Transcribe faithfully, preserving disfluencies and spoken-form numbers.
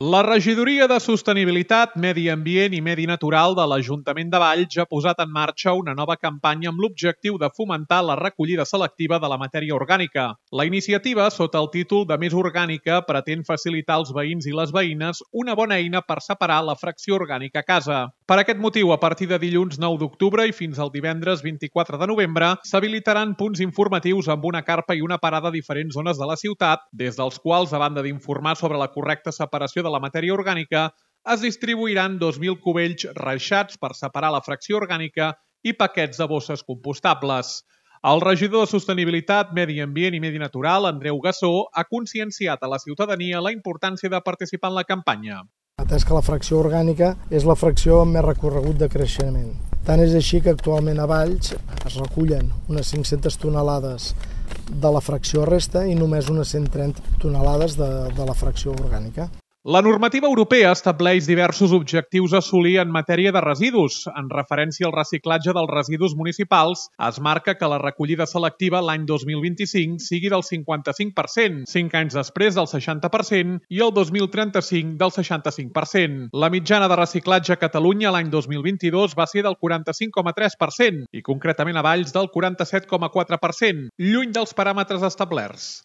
La Regidoria de Sostenibilitat, Medi Ambient i Medi Natural de l'Ajuntament de Valls ha posat en marxa una nova campanya amb l'objectiu de fomentar la recollida selectiva de la matèria orgànica. La iniciativa, sota el títol de Més Orgànica, pretén facilitar als veïns i les veïnes una bona eina per separar la fracció orgànica a casa. Per aquest motiu, a partir de dilluns nou d'octubre i fins al divendres vint-i-quatre de novembre, s'habilitaran punts informatius amb una carpa i una parada a diferents zones de la ciutat, des dels quals, a banda d'informar sobre la correcta separació de la matèria orgànica, es distribuiran dos mil cubells reixats per separar la fracció orgànica i paquets de bosses compostables. El regidor de Sostenibilitat, Medi Ambient i Medi Natural, Andreu Gassó, ha conscienciat a la ciutadania la importància de participar en la campanya. Atès que la fracció orgànica és la fracció amb més recorregut de creixement. Tant és així que actualment a Valls es recullen unes cinc-centes tonelades de la fracció resta i només unes cent trenta tonelades de, de la fracció orgànica. La normativa europea estableix diversos objectius a assolir en matèria de residus. En referència al reciclatge dels residus municipals, es marca que la recollida selectiva l'any dos mil vint-i-cinc sigui del cinquanta-cinc per cent, cinc anys després del seixanta per cent i el dos mil trenta-cinc del seixanta-cinc per cent. La mitjana de reciclatge a Catalunya l'any dos mil vint-i-dos va ser del quaranta-cinc coma tres per cent i concretament a Valls del quaranta-set coma quatre per cent, lluny dels paràmetres establerts.